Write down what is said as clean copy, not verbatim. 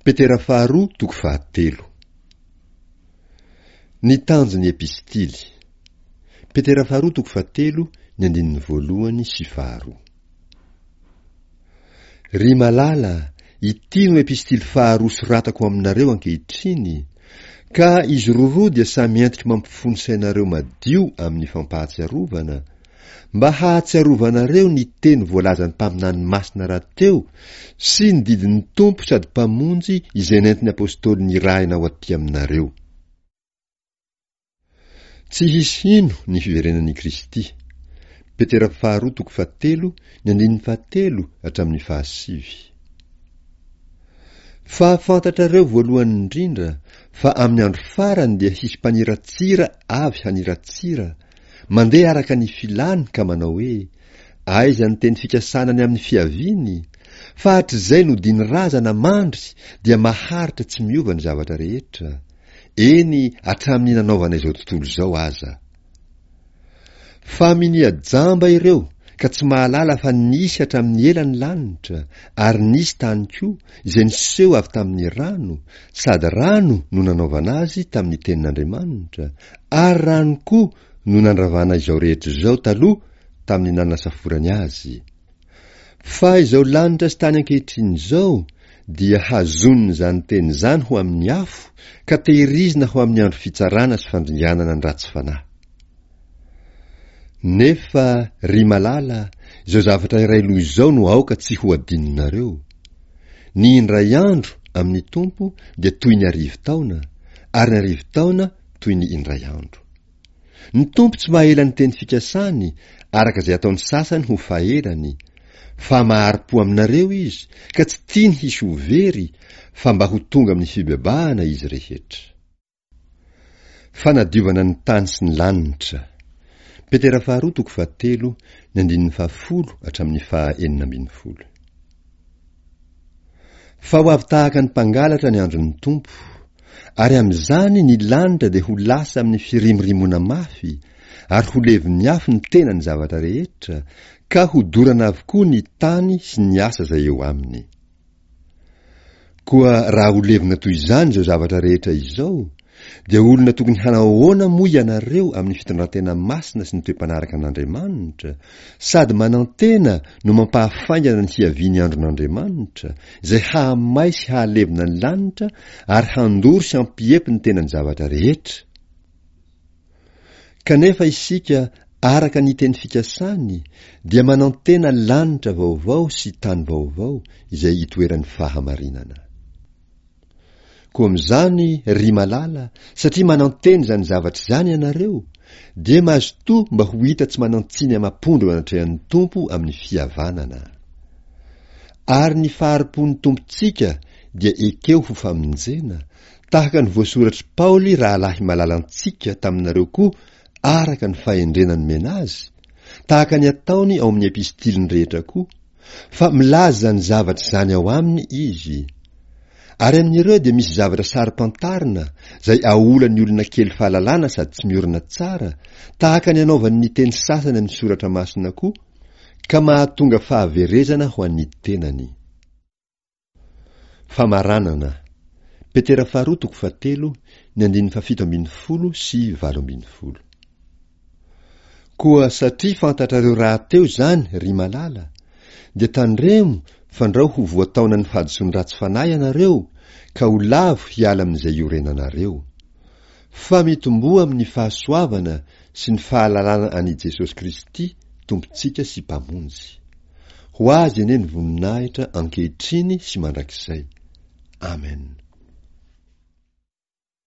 Petera faharoa toko fahatelo. Ny tanjon'ny epistily. Petera faharoa toko fahatelo ny andininy voalohany sy faharoa. Ry malala, ity no epistily faharoa soratako aminareo ankehitriny, ka izy roroa dia samy entiko mampifono sainareo madio amin'ny fampahatsiarovana, mba hahatsiarovanareo ny teny voalazan'ny mpaminany masina rahateo sy ny didin'ny Tompo sady Mpamonjy izay nentin'ny Apôstôly nirahina ho aty aminareo. Tsy hisy hino ny fiverenan'i Kristy. Petera faharoa toko fahatelo ny andininy fahatelo hatramin'ny fahasivy. Fa fantatrareo voalohany indrindra fa amin'ny andro farany dia hisy mpaniratsira avy haniratsira, mandeha araka ny filany ka manao hoe, Aiza ny teny fikasana ny amin'ny fiaviany? Fa hatrizay nodiany razana mandry dia maharitra tsy miova ny zavatra rehetra, eny hatramin'ny nanaovana izao tontolo izao aza. Fa minia jamba ireo ka tsy mahalala fa nisy hatramin'ny ela ny lanitra ary nisy tany koa izay niseho avy tamin'ny rano, sady rano no nanaovana azy tamin'ny tenin'Andriamanitra, ary rano koa no nandravana izao rehetra izao taloha tamin'ny nanasaforany azy. Fa izao lanitra sy tany ankehitriny izao dia hazonin'izany teny izany ho amin'ny afo ka tehirizina ho amin'ny andro fitsarana sy fandringanana ny ratsy fanahy. Nefa, ry malala, izao zavatra iray loha izao no aoka tsy ho adinonareo, Ny indray andro amin'ny Tompo dia toy ny arivotaona, ary ny arivotaona toy ny indray andro. Ny Tompo tsy mahela ny teny fikasany araka izay ataon'ny sasany ho fahelany, fa mahari-po aminareo Izy ka tsy tiany hisy ho very fa mba ho tonga amin'ny fibebahana izy rehetra. Fanadiovana ny tany sy ny lanitra. Petera faharoa toko fahatelo ny andininy fahafolo hatramin'ny faha 16. Fa ho avy tahaka ny mpangalatra ny andron'ny Tompo, ary amin'izany ny lanitra dia ho lasa amin'ny firimorimoana mafy, ary ho levon'ny afo ny tenan'ny zavatra rehetra, ka hodorana avokoa ny tany sy ny asa izay eo aminy. Koa raha ho levona toy izany izao zavatra rehetra izao, dia olona tokony hanao ahoana moa ianareo amin'ny fitondrantena masina sy ny toe-panaraka an'Andriamanitra, sady manantena no mampahafaingana ny hiavian'ny andron'Andriamanitra, izay hahamay sy hahalevona ny lanitra ary handoro sy hampiepy ny tenan'ny zavatra rehetra? Kanefa isika, araka ny teny fikasany, dia manantena lanitra vaovao sy tany vaovao izay itoeran'ny fahamarinana. Koa amin'izany, ry malala, satria manantena izany zavatra izany ianareo, dia mazotoa mba ho hita tsy manan-tsiny amam-pondro eo anatrehan'ny Tompo amin'ny fihavanana. Ary ny fahari-pon'ny Tompontsika dia ekeo ho famonjena, tahaka ny voasoratr'i Paoly rahalahy malalantsika taminareo koa araka ny fahendrena nomena azy, tahaka ny ataony ao amin'ny epistiliny rehetra koa, Fa milaza izany zavatra izany ao aminy izy. Ary amin'ireo dia misy zavatra saro-pantarina izay aolan'ny olona kely fahalalana sady tsy miorina tsara, tahaka ny anaovany ny teny sasany amin'ny soratra masina koa, ka mahatonga fahaverezana ho an'ny tenany. Famaranana. Petera faharoa toko fahatelo, ny andininy fahafito ambinifolo sy 18. Koa satria fantatrareo rahateo izany, ry malala, dia tandremo fandrao ho voataonan'ny fahadisoan'ny ratsy fanahy ianareo ka ho lavo hiala amin'izay iorenanareo. Fa mitomboa amin'ny fahasoavana sy ny fahalalana an'i Jesosy Kristy Tompontsika sy Mpamonjy. Ho Azy anie ny voninahitra ankehitriny sy mandrakizay. Amen.